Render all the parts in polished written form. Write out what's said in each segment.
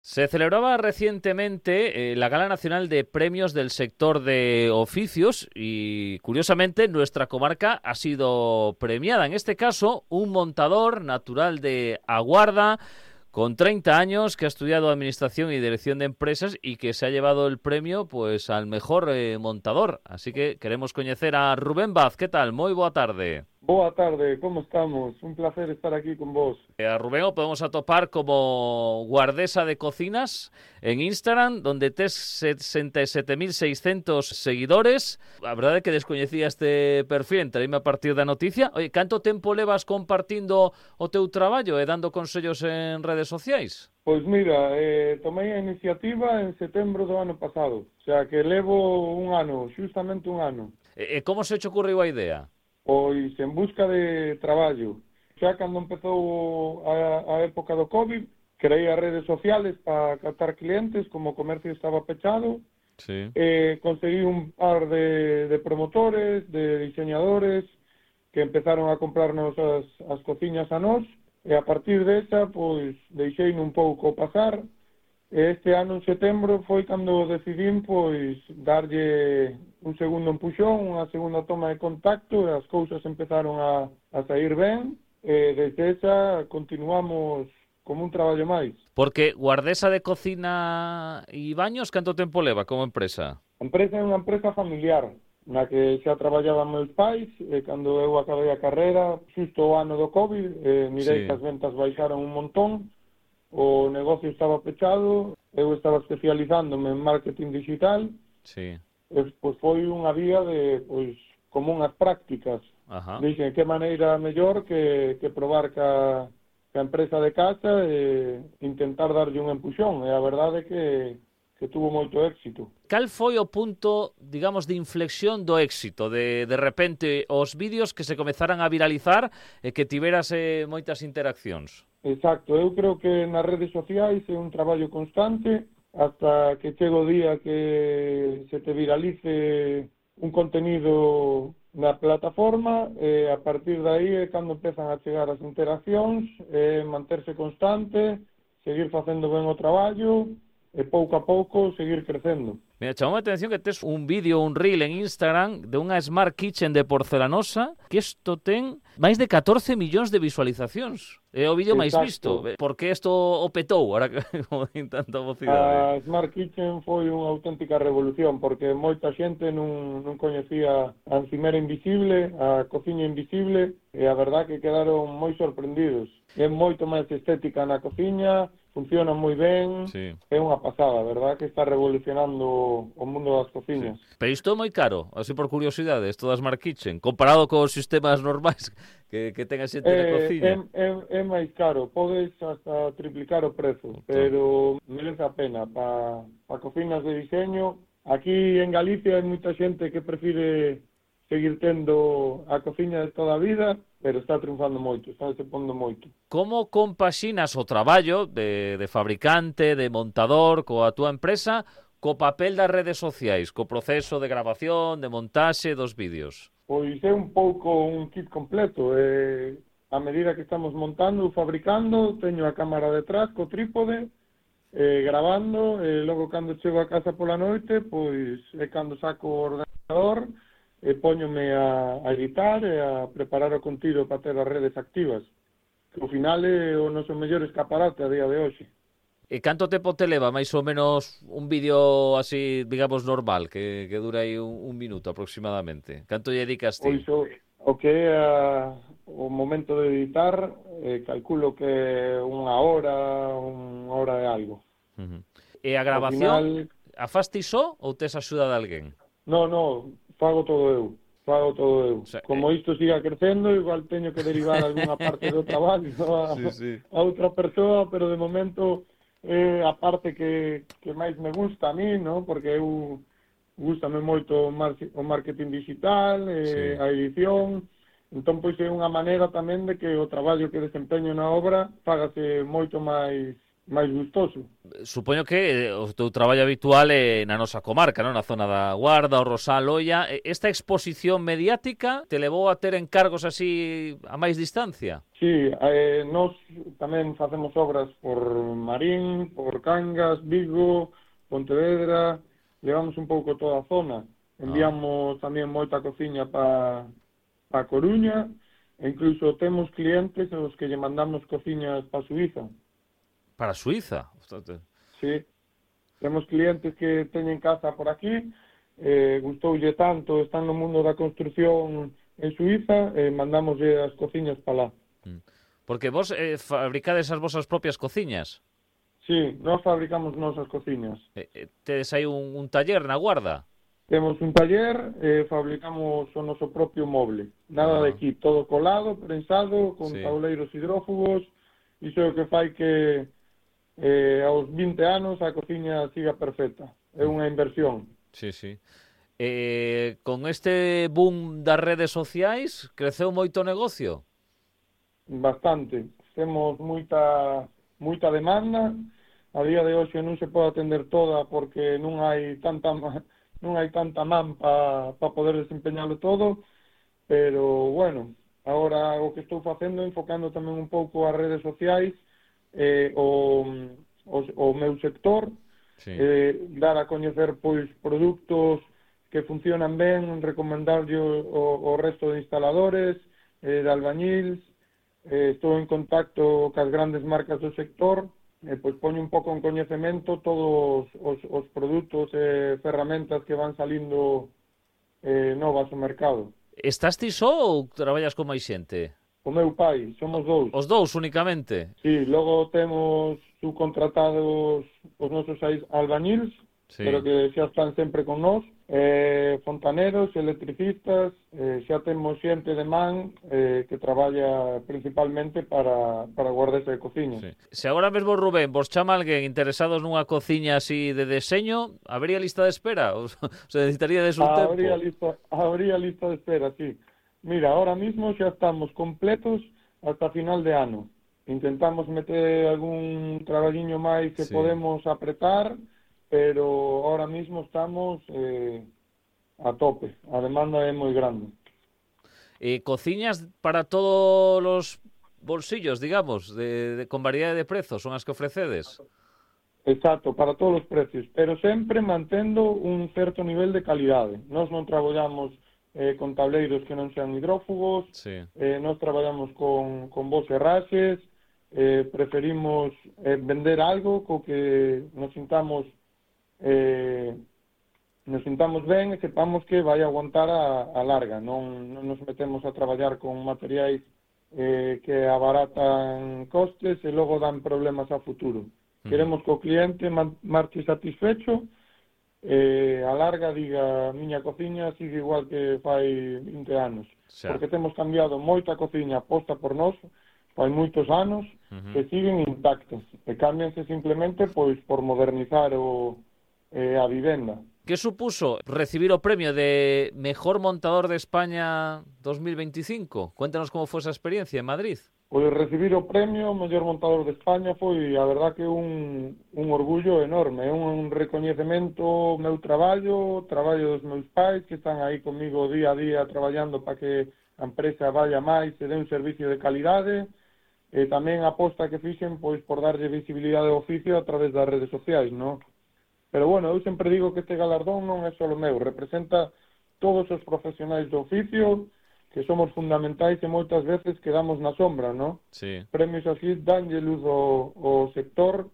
Se celebraba recientemente la Gala Nacional de Premios del Sector de Oficios y, curiosamente, nuestra comarca ha sido premiada. En este caso, un montador natural de Aguarda, con 30 años, que ha estudiado Administración y Dirección de Empresas y que se ha llevado el premio pues al mejor montador. Así que queremos coñecer a Rubén Vaz. ¿Qué tal? Moi boa tarde. Boa tarde, como estamos? Un placer estar aquí con vos. A Rubén o podemos atopar como guardesa de cocinas en Instagram, donde tes 67.600 seguidores. A verdade é que descoñecía este perfil, entraíme a partir da noticia. Oye, canto tempo levas compartindo o teu traballo e dando consellos en redes sociais? Pois mira, tomei a iniciativa en setembro do ano pasado, o sea que levo un ano, xustamente un ano. E como se te ocurriu a idea? Pois en busca de traballo. Xa cando empezou a época do COVID, creei as redes sociales para captar clientes, como o comercio estaba pechado, Sí. conseguí un par de promotores, de diseñadores, que empezaron a comprarnos as cociñas a nós, e a partir desa, pois, deixei un pouco pasar. Este ano, en setembro, foi cando decidín, pois, darlle un segundo empuxón, unha segunda toma de contacto, e as cousas empezaron a sair ben, e desde esa continuamos como un traballo máis. Porque guardesa de cocina e baños, canto tempo leva como empresa? A empresa é unha empresa familiar, na que xa traballaban meus pais, e cando eu acabei a carreira, xusto o ano do COVID, mirei Sí. que as ventas baixaron un montón, o negocio estaba pechado, eu estaba especializándome en marketing digital, Sí. e pois foi unha vía de, pois, como unhas prácticas. Ajá. Dixen, que maneira mellor que probar ca empresa de casa e intentar darlle un empuxón, e a verdade é que tuvo moito éxito. Cal foi o punto, digamos, de inflexión do éxito? De repente, os vídeos que se comezaran a viralizar e que tiveras moitas interaccións? Exacto, eu creo que nas redes sociais é un traballo constante hasta que chega o día que se te viralice un contenido na plataforma, e a partir de aí é cando empezan a chegar as interaccións, manterse constante, seguir facendo ben o traballo e pouco a pouco seguir crecendo. Mira, chamou a atención que tes un vídeo, un reel en Instagram de unha Smart Kitchen de porcelanosa que isto ten máis de 14 millóns de visualizacións. É o vídeo máis visto. Por que isto o petou, ahora que como din tanta vocidade? A Smart Kitchen foi unha auténtica revolución, porque moita xente non coñecía a encimera invisible, a cociña invisible, e a verdad que quedaron moi sorprendidos. É moito máis estética na cociña, funciona moi ben, Sí. É unha pasada, verdad que está revolucionando o mundo das cociñas. Sí. Pero isto é moi caro, así por curiosidade, isto das Smart Kitchen, comparado cos sistemas normais que ten a xente na cociña. É máis caro, podes hasta triplicar o prezo, pero merece a pena. Pa cocinas de diseño, aquí en Galicia hai moita xente que prefire seguir tendo a cociña de toda a vida, pero está triunfando moito, está se pondo moito. Como compaxinas o traballo de fabricante, de montador, coa túa empresa, co papel das redes sociais, co proceso de grabación, de montaxe dos vídeos? Pois é un pouco un kit completo. A medida que estamos montando, fabricando, teño a cámara detrás co trípode, grabando, e logo cando chego a casa pola noite, pois é cando saco o ordenador, e póñome a editar e a preparar o contido para ter as redes activas, que ao final é o noso mellor escaparate a día de hoxe. E canto tempo te leva, máis ou menos, un vídeo así, digamos, normal, que dura aí un minuto aproximadamente? Canto lle dedicas ti? Pois o que é o momento de editar, calculo que unha hora e algo. E a grabación, final, a fas ti só ou tes axuda de alguén? No, fago todo eu. O sea, como isto siga crecendo, igual teño que derivar algunha parte do traballo a outra persoa, pero de momento é a parte que máis me gusta a mí, ¿no? Porque eu gústame moito o marketing digital, a edición, entón pois é unha maneira tamén de que o traballo que desempeño na obra fágase moito máis máis gustoso. Supoño que o teu traballo habitual é na nosa comarca, non? Na zona da Guarda, o Rosal, Oia. Esta exposición mediática te levou a ter encargos así a máis distancia? Sí, nós tamén facemos obras por Marín, por Cangas, Vigo, Pontevedra, levamos un pouco toda a zona. Enviamos tamén moita cociña pa Coruña, e incluso temos clientes aos que lle mandamos cociñas pa Suiza. Para Suiza? Sí, temos clientes que teñen casa por aquí, gustoulle tanto, están no mundo da construción en Suiza, mandámoslle as cociñas para lá. Porque vos fabricades as vosas propias cociñas? Sí, nós fabricamos nosas cociñas. Tedes aí un taller na Guarda? Temos un taller, fabricamos o noso propio moble. Nada de aquí, todo colado, prensado, con tauleiros hidrófugos, iso é o que fai que aos 20 anos a cociña siga perfecta. É unha inversión. Sí, sí. Con este boom das redes sociais, creceu moito o negocio? Bastante. Temos moita demanda. A día de hoxe non se pode atender toda porque non hai tanta man para poder desempeñalo todo, pero bueno, agora o que estou facendo enfocando tamén un pouco as redes sociais, o meu sector, dar a coñecer pois produtos que funcionan ben, recomendarlle o resto de instaladores, de albañils. Estou en contacto cas grandes marcas do sector, pois poño un pouco en coñecemento todos os produtos e ferramentas que van salindo novas ao mercado. Estás ti só ou traballas con máis xente? O meu pai, somos dous. Os dous únicamente? Sí, logo temos subcontratados os nosos albañils, pero que xa están sempre con nós, fontaneros, electricistas, xa temos xente de man que traballa principalmente para guardesa de cociña. Sí. Se agora mesmo Rubén vos chama alguén interesados nunha cociña así de deseño, habría lista de espera? O se necesitaría de un tempo? Habría lista de espera, sí. Mira, ahora mismo xa estamos completos hasta final de ano. Intentamos meter algún traballiño máis que podemos apretar, pero ahora mismo estamos a tope. A demanda é moi grande. Cociñas para todos os bolsillos, digamos, con variedade de prezos, son as que ofrecedes? Exacto, para todos os precios, pero sempre mantendo un certo nivel de calidade. Nós non traballamos con tableiros que non sean hidrófugos, nós traballamos con vos herraxes, preferimos vender algo co que nos sintamos ben e sepamos que vai aguantar a larga. Non nos metemos a traballar con materiais que abaratan costes e logo dan problemas a futuro. Queremos que o cliente marche satisfecho, a larga diga, miña cociña sigue igual que fai 20 anos. Porque temos cambiado moita cociña posta por nós, fai moitos anos, que siguen intactas. E cámbianse simplemente pois por modernizar a vivenda. Que supuso recibir o premio de Mejor Montador de España 2025? Cuéntanos como foi esa experiencia en Madrid. Pois recibir o premio Mellor Montador de España foi, a verdad, que un orgullo enorme, é un recoñecemento ao meu traballo dos meus pais que están aí comigo día a día traballando para que a empresa vaya máis e dé un servicio de calidade, e tamén a aposta que fixen pois por darlle visibilidade ao oficio a través das redes sociais, non? Pero bueno, eu sempre digo que este galardón non é só meu, representa todos os profesionais do oficio, que somos fundamentais e moitas veces quedamos na sombra, non? Sí. Premios así danlle luz ao sector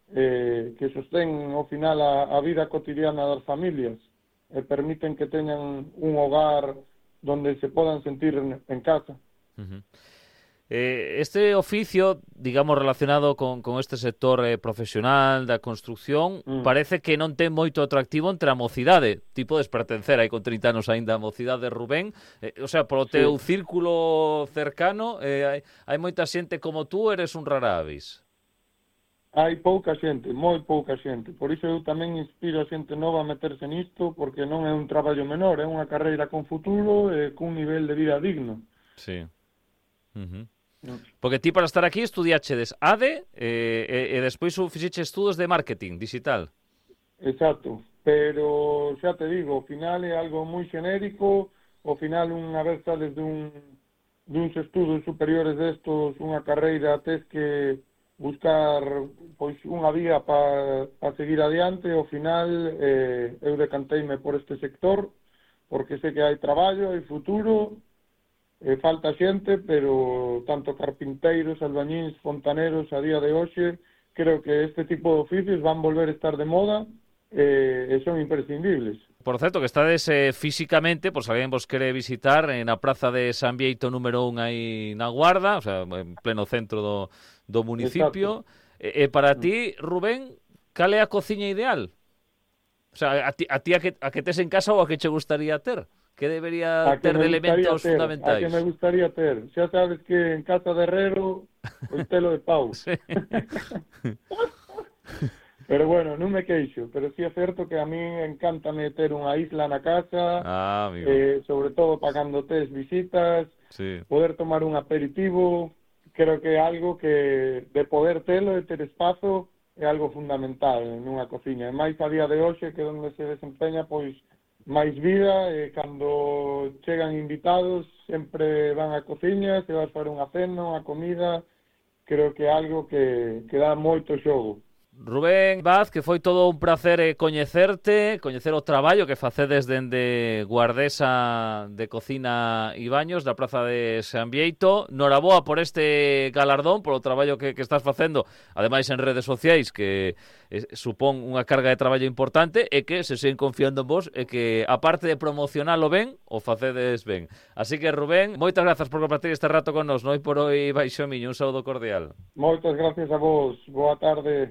que sostén ao final a vida cotidiana das familias e permiten que teñan un hogar donde se podan sentir en casa. Este oficio, digamos, relacionado con este sector profesional da construción, parece que non ten moito atractivo entre a mocidade. Ti podes pertencer aí con 30 anos aínda a mocidade, Rubén. O sea, polo teu círculo cercano, hai moita xente como tú, eres un rara avis. Hai pouca xente, moi pouca xente. Por iso eu tamén inspiro a xente nova a meterse nisto, porque non é un traballo menor, é unha carreira con futuro e cun nivel de vida digno. Sí. Porque ti para estar aquí estudiachedes ADE e despois fixeche estudos de marketing digital. Exacto, pero xa te digo, ao final é algo moi xenérico, ao final unha vez sales duns estudos superiores destos, unha carreira, tes que buscar pois unha vía para seguir adiante. Ao final eu decanteime por este sector porque sei que hai traballo, hai futuro, falta xente, pero tanto carpinteiros, albañíns, fontaneros a día de hoxe, creo que este tipo de oficios van volver a estar de moda e son imprescindibles. Por certo, que estades físicamente, por se alguén vos quere visitar, na praza de San Bieito número 1 aí na Guarda, o sea, en pleno centro do municipio. E para ti, Rubén, cal é a cociña ideal? O sea, a ti a que tes en casa ou a que che gustaría ter? Que debería ter de elementos fundamentais? A que me gustaría ter. Xa sabes que en casa de herrero, o telo de pau. Sí. Pero bueno, non me queixo, pero sí é certo que a mí encántame ter unha isla na casa, sobre todo para cando tes visitas, sí. Poder tomar un aperitivo, creo que é algo que de poder telo e ter espazo é algo fundamental nunha cociña. E máis a día de hoxe, que onde se desempeña pois máis vida, e cando chegan invitados sempre van á cociña, se vas para unha cena, unha comida, creo que é algo que dá moito xogo. Rubén Vaz, que foi todo un placer coñecerte, coñecer o traballo que facedes dende Guardesa de Cocina e Baños da Praza de San Bieito. Noraboa por este galardón, polo traballo que estás facendo, ademais en redes sociais, que supón unha carga de traballo importante, e que se seguen confiando en vos, e que, aparte de promocionalo ben, o facedes ben. Así que, Rubén, moitas grazas por compartir este rato con nos. Noi por hoy baixo miño, un saúdo cordial. Moitas gracias a vos, boa tarde.